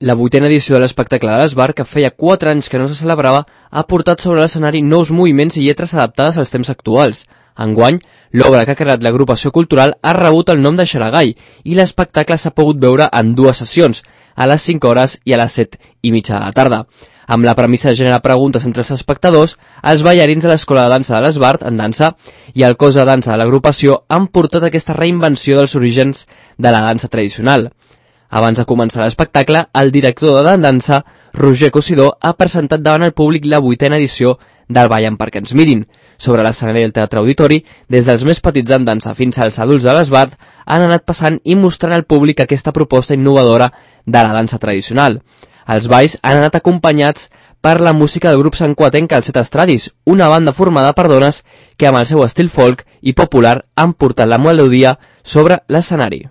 La 8ª edició de l'espectacle de l'Esbart, que feia 4 anys que no se celebrava, ha portat sobre l'escenari nous moviments i lletres adaptades als temps actuals. Enguany, l'obra que ha creat l'agrupació cultural ha rebut el nom de Xaragai i l'espectacle s'ha pogut veure en 2 sessions, a les 5 hores i a les 7:30 de la tarda. Amb la premissa de generar preguntes entre els espectadors, els ballarins de l'Escola de Dansa de l'Esbart, en dansa, i el cos de dansa de l'agrupació han portat aquesta reinvenció dels orígens de la dansa tradicional. Abans de començar l'espectacle, el director de dansa, Roger Cosidó, ha presentat davant el públic la 8ª edició del Ballant perquè ens mirin. Sobre l'escenari del Teatre Auditori, des dels més petits en dansa fins als adults de l'Esbart, han anat passant i mostrant al públic aquesta proposta innovadora de la dansa tradicional. Els balls han anat acompanyats per la música del grup santcugatenc Els Set Estradis, una banda formada per dones que amb el seu estil folk i popular han portat la melodia sobre l'escenari.